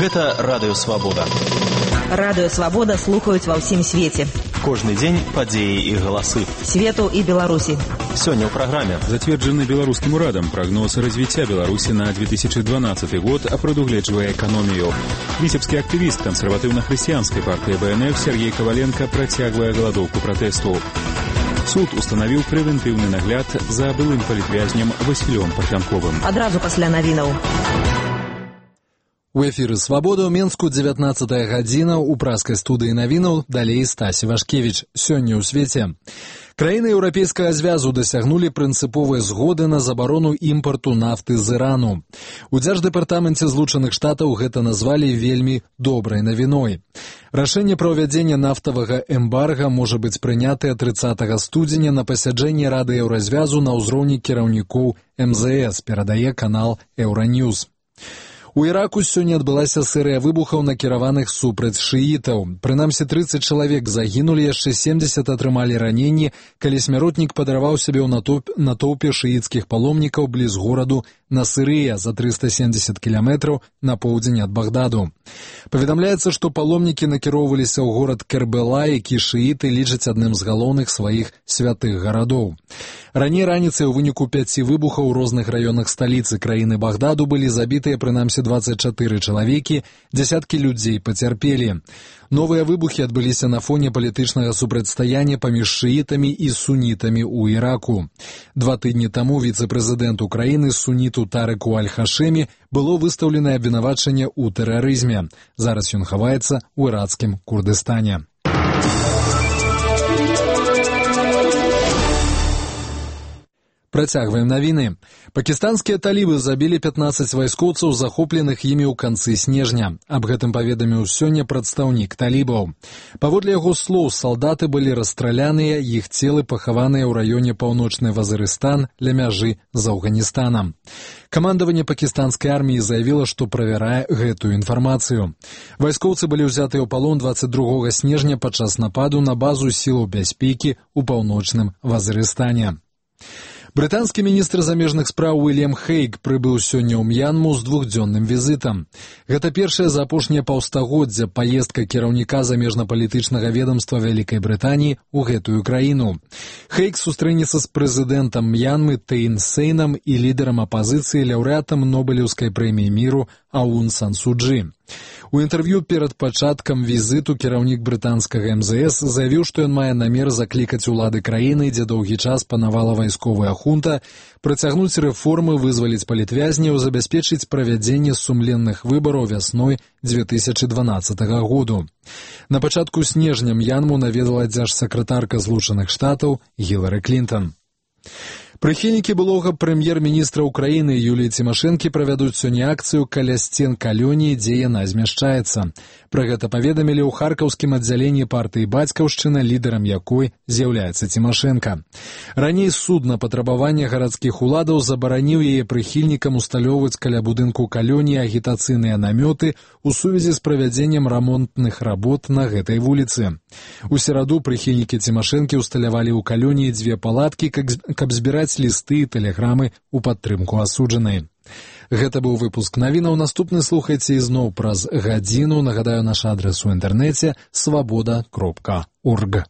Гэта Радыё Свабода. Радыё Свабода слухаюць ва ўсім свеце. Кожны дзень падзеі і галасы. Свету і Беларусі. Сёння ў праграме. Зацверджаны беларускім урадам прагноз развіцця Беларусі на 2012 год, а прадугледжвае эканомію. Віцебскі актывіст кансерватыўна-хрысціянскай партыі БНФ Сергей Коваленко працягвае галадоўку пратэсту. Суд устанавіў прэвентыўны нагляд за былым палітвязням Васілём Парфянковым. Адразу пасля навінаў. У эфіры «Свабода» ў Менску 19-я гадзіна, у праскай студыі навінаў, далей Стасі Вашкевіч. Сёння ў свеце. Краіны Еўрапейскага звязу дасягнулі прынцыповай згоды на забарону імпарту нафты з Ірану. У Дзярждэпартаменце Злучаных Штатаў гэта назвалі вельмі добрай навіной. Рашэнне пра ўвядзенне нафтавага эмбарга можа быць прынятае 30 студзеня на пасяджэнні Рады Еўразвязу на ўзроўні кіраўнікоў МЗС, перадае канал Еўраньюз. У Іраку сёння адбылася серыя выбухаў, накіраваных супраць шыітаў. Прынамсі 30 чалавек загінулі, яшчэ 70 атрымалі раненні, калі смяротнік падарваў сябе ў натоўпе шыіцкіх паломнікаў бліз гораду Насырыя за 370 кіламетраў на поўдзень ад Багдаду. Паведамляецца, што паломнікі накіроўваліся ў горад Кербела, які шыіты лічаць адным з галоўных сваіх святых гарадоў. Раней раніцай у выніку 5 выбухаў у розных раёнах сталіцы краіны Багдаду былі забітыя прынамсі 24 чалавекі, дзясяткі людзей пацярпелі. Новыя выбухі адбыліся на фоне палітычнага супрацьстаяння паміж шыітамі і сунітамі ў Іраку. 2 тыдні таму віцэ-прэзідэнт Украіны суніту Тарэку Аль-Хашэмі было выстаўленае абвінавачанне ў тэрарызме. Зараз ён хаваецца ў ірацкім Курдыстане. Працягваем навіны. Пакістанскія талібы забілі 15 вайскоўцаў, захопленых імі ў канцы снежня. Аб гэтым паведаміў сёння прадстаўнік талібаў. Паводле яго слоў, салдаты былі расстраляныя, іх целы пахаваныя ў раёне Паўночны Вазырыстан ля мяжы з Афганістанам. Камандаванне пакістанскай арміі заявіла, што правярае гэтую інфармацыю. Вайскоўцы былі ўзятыя ў палон 22 снежня падчас нападу на базу сілаў бяспекі ў Паўночным Вазырыстане. Брытанскі міністр замежных спраў Уільям Хейг прыбыў сёння ў М'янму з двухдзённым візітам. Гэта першая за апошняе паўстагоддзя паездка кіраўніка замежна-палітычнага ведамства Вялікай Брытаніі ў гэтую краіну. Хейг сустрэнецца з прэзідэнтам М'янмы Тэйн Сейнам і лідарам апазіцыі, лаўрэатам Нобелеўскай прэміі міру Аун Сан Су Чжы. У інтэрв'ю перад пачаткам візіту кіраўнік брытанскага МЗС заявіў, што ён мае намер заклікаць улады краіны, дзе доўгі час панавала вайсковая хунта, працягнуць рэформы, вызваліць палітвязняў, забяспечыць правядзенне сумленных выбараў вясной 2012 году. На пачатку снежня М'янму наведала дзяржсакратарка Злучаных Штатаў Гілары Клінтон. Прыхільнікі былога прэм'ер-міністра Украіны Юліі Цімашэнкі правядуць сёння акцыю каля сцен калоніі, дзе яна змяшчаецца. Пра гэта паведамілі ў харкаўскім аддзяленні партыі «Бацькаўшчына», лідарам якой з'яўляецца Цімашэнка. Раней суд на патрабаванне гарадскіх уладаў забараніў яе прыхільнікам усталёўваць каля будынку калоніі агітацыйныя намёты ў сувязі з правядзеннем рамонтных работ на гэтай вуліцы. У сераду прыхільнікі Цімашэнкі усталявалі ў калоніі 2 палаткі, каб збіраць лісты і тэлеграмы ў падтрымку асуджанай. Гэта быў выпуск навінаў. Наступны слухайце ізноў праз гадзіну. Нагадаю, наш адрас у інтэрнэце свабода.орг.